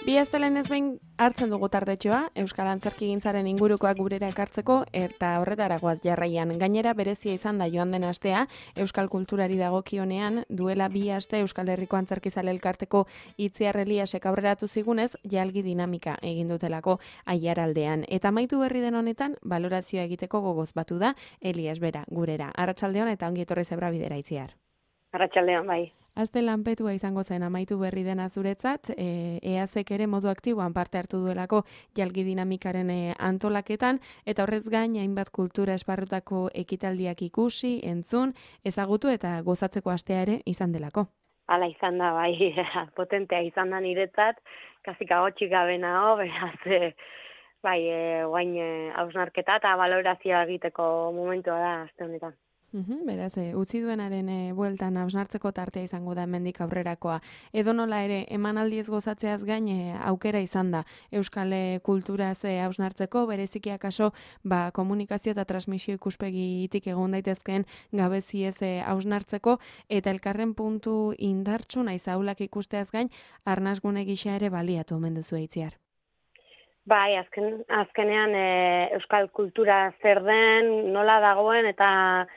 Bi astelenez behin hartzen dugu tardetxoa, Euskal Antzerkigintzaren ingurukoak gurera ekartzeko eta horretara goaz jarraian. Gainera berezia izan da joan den astea, Euskal Kulturari dagokionean, duela 2 aste Euskal Herriko Antzerkizale Elkarteko Itziar Eliasek aurreratu zigunez, jalgi dinamika egin dutelako Aiaraldean. Eta amaitu berri den honetan, balorazioa egiteko gogoz batu da Elias bera gurera. Arratsaldeon eta ongi etorri Zebra Bidera, Itziar. Arratsaldeon, bai. Aste lanpetua izango zen amaitu berri dena zuretzat, EASek ere modu aktiboan parte hartu duelako jalgi dinamikaren antolaketan, eta horrez gain hainbat kultura esparrutako ekitaldiak ikusi, entzun, ezagutu eta gozatzeko astea ere izan delako. Hala izan da, bai, potentea izan da niretzat, kasik agotxik gabe nago, beraz, guain hausnarketa eta balorazioa egiteko momentua da aste honetan. Beraz, utzi duenaren bueltan hausnartzeko tartea izango da hemendik aurrerakoa. Edonola ere, emanaldiez gozatzeaz gain aukera izan da Euskal kulturaz hausnartzeko, bereziki akaso komunikazio eta transmisio ikuspegitik egon daitezkeen gabeziez hausnartzeko, eta elkarren puntu indartsu naiz ahulak ikusteaz gain, arnasgune gisa ere baliatu omen duzu Itziar. Bai, azkenean Euskal kultura zer den, nola dagoen eta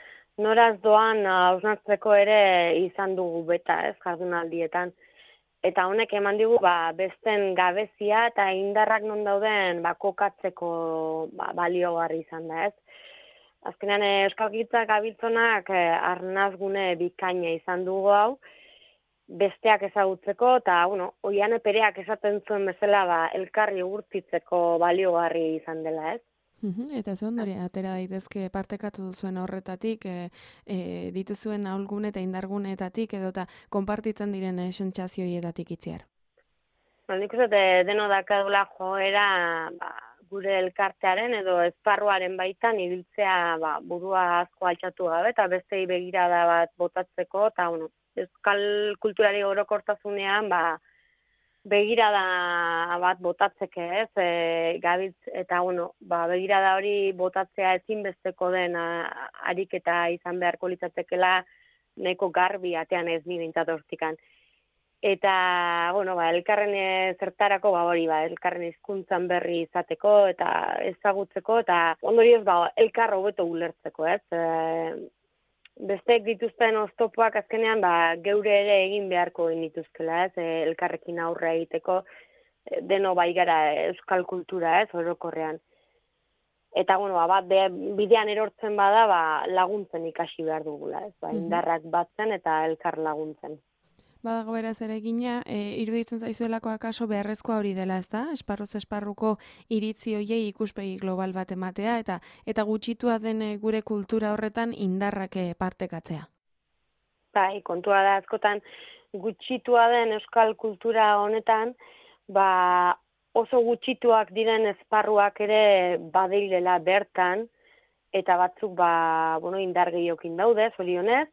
noraz doan hausnartzeko ere izan dugu beta, jardunaldietan. Eta honek eman digu besten gabezia eta indarrak non dauden kokatzeko baliogarri izan da, Azkenean euskalgintza gabiltzonak arnasgune bikaina izan dugu hau, besteak ezagutzeko eta, oian pereak esaten zuen bezala elkarri urtitzeko baliogarri izan dela, Eta ze ondori, atera daitezke partekatu duzuen horretatik, dituzuen ahulgune eta indarguneetatik edota konpartitzen diren sentsazioietatik Itziar. Nik uste deno dakadula joera gure elkartearen edo esparruaren baitan ibiltzea burua asko altxatu gabe eta bestei begirada bat botatzeko eta euskal kulturari orokortasunean begirada bat botatzeke, gabiltz eta begirada hori botatzea ezinbesteko den ariketa izan beharko litzatekeela nahiko garbi atean ez ni behintzat hortikan. Eta, elkarren zertarako hori elkarren hizkuntzan berri izateko eta ezagutzeko eta ondorioz elkar hobeto ulertzeko, Besteek dituzten oztopoak azkenean geure ere egin beharko genituzkela, elkarrekin aurre egiteko deno gara euskal kultura, orokorrean. Eta bidean erortzen bada laguntzen ikasi behar dugula, indarrak batzen eta elkar laguntzen. Badago beraz ere egina, iruditzen zaizuelako akaso beharrezkoa hori dela, ezta? Esparruz esparruko iritzi hoiei ikuspegi global bat ematea eta gutxitua den gure kultura horretan indarrak partekatzea. Bai, kontua da askotan gutxitua den euskal kultura honetan, oso gutxituak diren esparruak ere badirela bertan eta batzuk indar gehiokin daude, zorionez.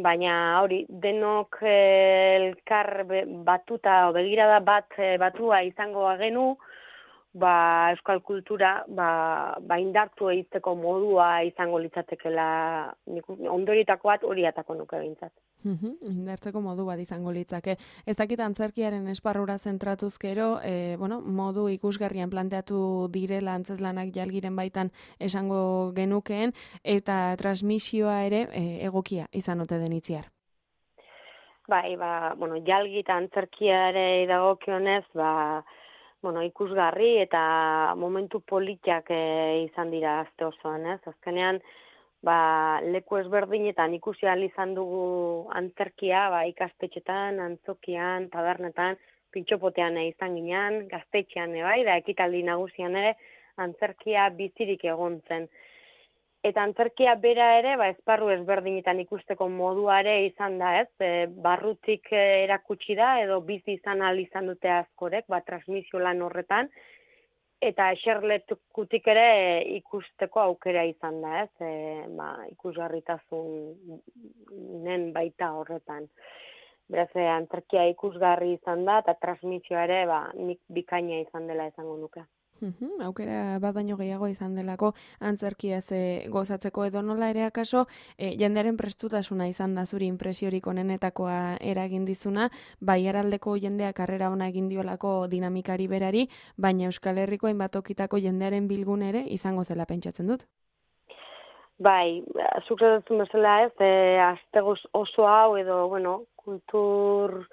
Baina hori, denok elkar batuta, begirada batua izango genu, euskal kultura indartu egiteko modua izango litzatekela, ondorietako bat hori atako nuke behintzat. Indartzeko modu bat izango litzake. Ez dakit antzerkiaren esparrura zentratuz gero, modu ikusgarrian planteatu direla antzeslanak jalgiren baitan esango genukeen, eta transmisioa ere egokia izan ote den Itziar. Bai, jalgi eta antzerkiare dagokionez, ikusgarri eta momentu politiak izan dira aste osoan, Azkenean, leku ezberdinetan ikusi ahal izan dugu antzerkia, ikastetxetan, antzokian, tabernetan, pintxopotean izan ginean, gaztetxean, da ekitaldi nagusian ere, antzerkia bizirik egon zen. Eta antzerkia bera ere, esparru ezberdinetan ikusteko moduare izan da, barrutik erakutsi da, edo bizi izan ahal izan dute askorek, transmisio lan horretan, eta eserlekutik ere ikusteko aukera izan da, ikusgarritasunen baita horretan. Beraz, antzerkia ikusgarri izan da, eta transmisioa ere nik bikaina izan dela esango nuke. Aukera bat baino gehiago izan delako antzerkiaz gozatzeko edo nola ere akaso jendearen prestutasuna izan da zuri impresiorik onenetakoa eragin dizuna, bai araldeko jendeak harrera ona egin diolako dinamikari berari, baina Euskal Herriko hainbat tokitako jendearen bilgune ere izango zela pentsatzen dut. Bai, zuk esaten bezala ez, aste oso hau edo, kultur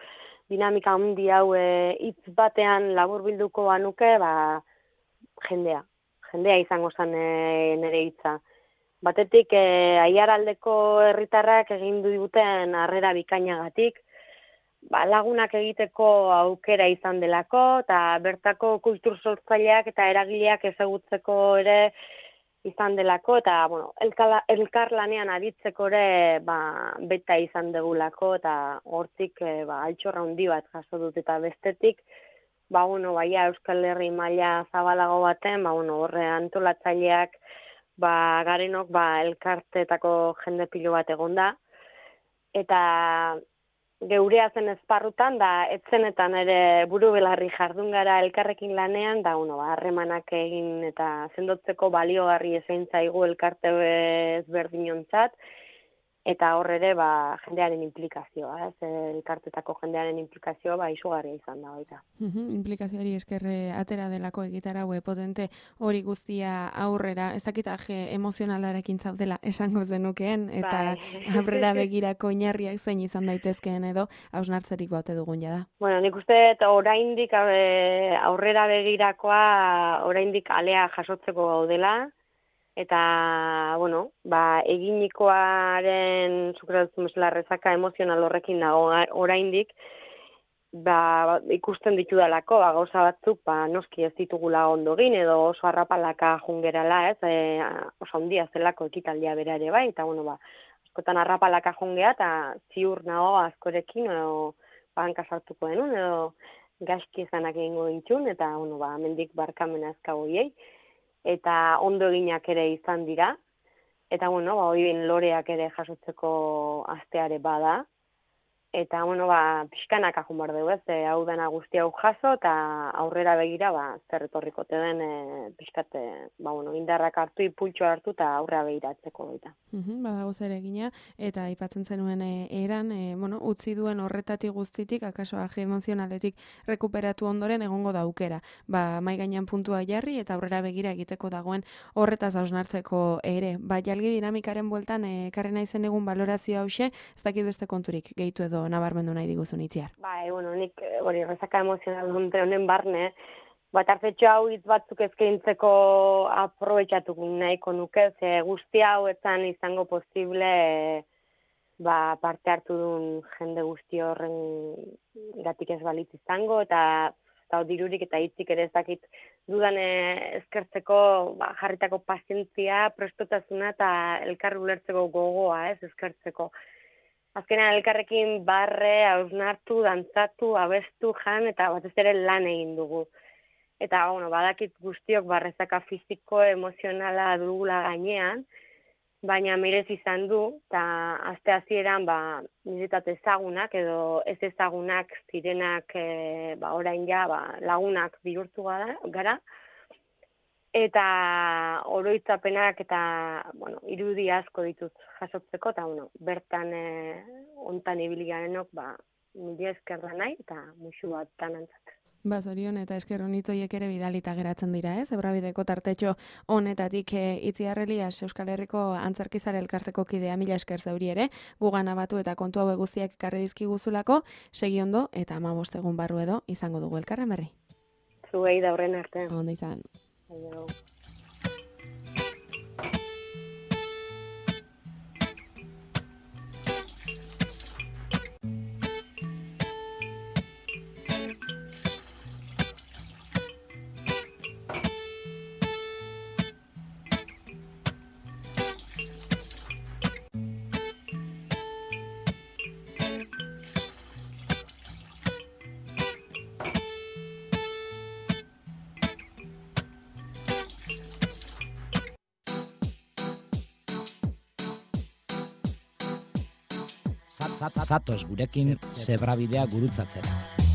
dinamika handi hau hitz batean laburbilduko banuke, jendea izango zen nire hitza. Batetik, aiaraldeko herritarrak egin duten harrera bikainagatik, lagunak egiteko aukera izan delako, eta bertako kultur sortzaileak eta eragileak ezagutzeko ere izan delako, eta elkarlanean aditzeko ere beta izan degulako, eta hortik altxorra handi bat jaso dut, eta bestetik, Euskal Herri maila zabalago baten, horre antolatzaileak, garenok, elkarteetako jende pilo bat egonda, eta geurea zen esparrutan, da etzenetan ere buru belarri jardun gara elkarrekin lanean, da harremanak egin eta sendotzeko baliogarri ezein zaigu elkarte ezberdinontzat, eta hor ere jendearen implikazioa, elkartetako jendearen implikazioa izugarria izan da baita. Implikazioari eskerre atera delako egitarau potente hori guztia aurrera, ez dakit emozionalarekin zaudela esango zenukeen, eta aurrera begirako oinarriak zein izan daitezkeen edo hausnartzerik baute dugun jada. Nik uste oraindik aurrera begirakoa oraindik alea jasotzeko gaudela, eta, eginikoaren zukratzen bezala rezaka emozional horrekin dago oraindik, ikusten ditudalako, gauza batzuk, noski ez ditugula ondo egin, edo oso harrapalaka jungerala, oso handia zelako ekitaldia bera ere bai, eta, askotan harrapalaka jungea, eta ziur nago askorekin, edo banka sartuko denun, edo gaizki izanak egingo dintxun, eta, mendik barkamena ezkagoiei, eta ondo eginak ere izan dira, eta, hori loreak ere jasotzeko asteare bada, eta, pixkanaka jun behar dugu, hau dena guzti hau jaso, eta aurrera begira, zer etorrikote den, pixkate, indarrak hartu, ipultxo hartu, eta aurrera begiratzeko baita. Badago zer egina, eta aipatzen zenuen eran, utzi duen horretatik guztitik, akaso aje emozionaletik rekuperatu ondoren egongo da aukera. Mai gainean puntua jarri, eta aurrera begira egiteko dagoen horretaz hausnartzeko ere. Jalgi dinamikaren bueltan, ekarri naizen egun balorazio hause, ez dakit beste konturik gehitu edo nabarmendu nahi diguzun itziar. Nik hori rezaka emozional honen barne, tartetxo hau hitz batzuk eskaintzeko aprobetxatuko nahiko nuke, ze guzti hau etzan izango posible parte hartu duen jende guzti horren gatik ez balitz izango, eta dirurik eta hitzik ere ez dakit dudan eskertzeko jarritako pazientzia, prestotasuna eta elkarri ulertzeko gogoa eskertzeko. Azkenean elkarrekin barre, hausnartu, dantzatu, abestu, jan, eta batez ere lan egin dugu. Eta, badakit guztiok barrezaka fiziko, emozionala dugula gainean, baina mirez izan du, eta aste hasieran niretat ezagunak edo ez ezagunak zirenak orain lagunak bihurtu gara, eta oroitzapenak eta irudi asko ditut jasotzeko, eta bertan ontan ibili garenok mila esker da nahi, eta musu bat tanantzat. Zorion eta esker honitzoiek ere bidalita geratzen dira, Zebrabideko tartetxo honetatik Itziar Elias Euskal Herriko Antzerkizale elkarteko kidea, mila esker zauri ere, gugan abatu eta kontu hau guztiak ekarri dizkiguzulako, segi ondo eta 15 egun barru edo izango dugu elkarren berri. Zuei da horren arte. Ondo izan. Aio. Zatoz gurekin Zebrabidea gurutzatzera.